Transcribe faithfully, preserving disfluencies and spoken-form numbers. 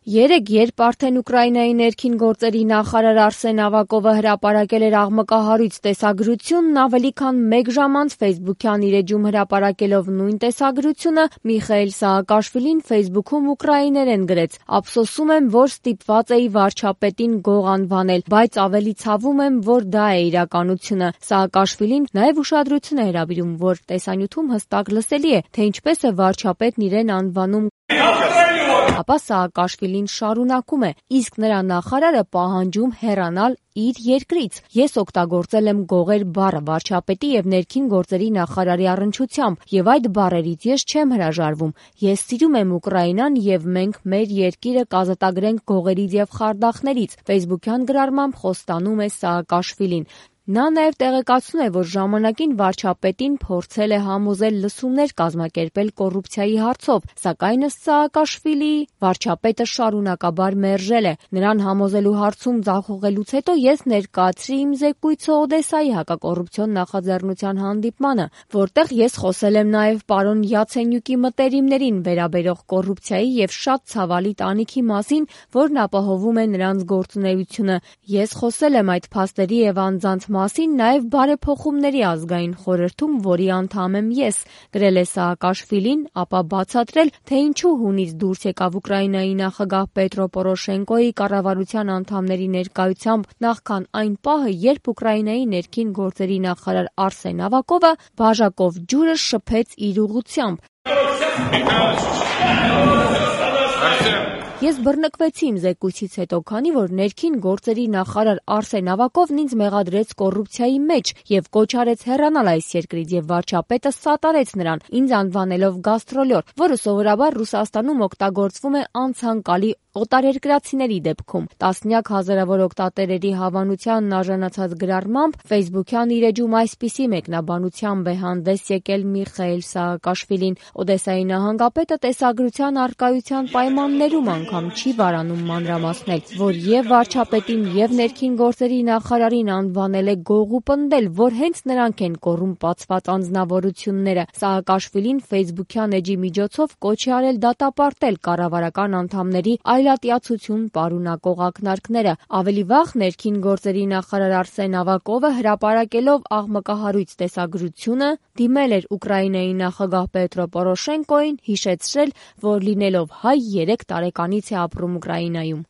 Երեկ, երբ արդեն Ուկրաինայի ներքին գործերի նախարար Արսեն Ավակովը հրապարակել էր աղմկահարույց տեսագրությունն, ավելի քան մեկ ժամ անց ֆեյսբուքյան իր էջում հրապարակելով նույն տեսագրությունը, Միխայիլ Սահակաշվիլին ֆեյսբուքում ուկրաիներեն գրեց. «Ափսոսում եմ, որ ստիպված էի վարչապետին գող անվանել, բայց ավելի ցավում եմ, որ դա է իրականությունը»։ Սահակաշվիլին նաև ուշադրություն է հրավիրում, որ տեսանյութում հստակ լսելի է, թե ինչպես է վարչապետն իրեն անվանում։ Ապա Սահակաշվիլին շարունակում է. «Իսկ նրա նախարարը պահանջում հեռանալ իր երկրից։ Ես օգտագործել եմ գողեր բառը վարչապետի և ներքին գործերի նախարարի առնչությամբ, և այդ բառերից ես չեմ հրաժարվում։ Ես սիրում եմ Ուկրաինան և մենք մեր երկիրը կազատագրենք գողերից և խարդախներից», ֆեյսբուքյան գրառմամբ խոստանում է Սահակաշվիլին։ Նա նաև տեղեկացնում է, որ ժամանակին վարչապետին փորձել է համոզել լսումներ կազմակերպել կոռուպցիայի հարցով, սակայն ըստ Սահակաշվիլիի, վարչապետը շարունակաբար մերժել է։ Նրան համոզելու հարցում ձախողելուց հետո ես ներկայացրի իմ զեկույցը Օդեսայի հակակոռուպցիոն նախաձեռնության հանդիպմանը, որտեղ ես խոսել եմ նաև պարոն Յացենյուկի մտերիմներին վերաբերող կոռուպցիայի և շատ ցավալի տանիքի մասին, որն ապահովում է նրանց գործունեությունը։ Ես խոսել եմ այդ փաստերի և անձանց մասին նաև Բարեփոխումների ազգային խորհրդում, որի անդամ եմ ես, գրել է Սահակաշվիլին, ապա բացատրել, թե ինչու հունից դուրս եկավ Ուկրաինայի նախագահ Պետրո Պորոշենկոյի կառավարության անդամների ներկայությամբ նախքան այն պահը, երբ Ուկրաինայի ներքին գործերի նախարար Արսեն Ավակովը բաժակով ջուրը շփեց իր ուղղությամբ։ Ես բռնկվեցի իմ զեկույցից հետո, քանի որ ներքին գործերի նախարար Արսեն Ավակովն ինձ մեղադրեց կոռուպցիայի մեջ և կոչ արեց հեռանալ այս երկրից, և վարչապետը սատարեց նրան, ինձ անվանելով գաստրոլյոր, որը սովորաբար Ռուսաստանում օգտագործվում է անցանկալի օտարերկրացիների դեպքում։ Տասնյակ հազարավոր օգտատերերի հավանությանն արժանացած գրառմամբ ֆեյսբուքյան իր էջում այսպիսի մեկնաբանությամբ է հանդես եկել Միխայիլ Սահակաշվիլին. «Օդեսայի նահանգապետը տեսագրության առկայության պայմաններում անգամ չի վարանում մանրամասնել, որ և վարչապետին և ներքին գործերի նախարարին անվանել է գող ու պնդել, որ հենց նրանք են կոռումպացված անձնավորությունները»։ Սահակաշվիլին ֆեյսբուքյան էջի միջոցով կոչ է արել դատապարտել կառավարական անդամների այլատյացություն պարունակող ակնարկները։ Ավելի վաղ ներքին գործերի նախարար Արսեն Ավակովը, հրապարակելով աղմկահարույց տեսագրությունը, դիմել էր Ուկրաինայի նախագահ Պետրո Պորոշենկոյին, հիշեցրել, որ լինելով հայ երեք տարեկանից է ապրում Ուկրաինայում։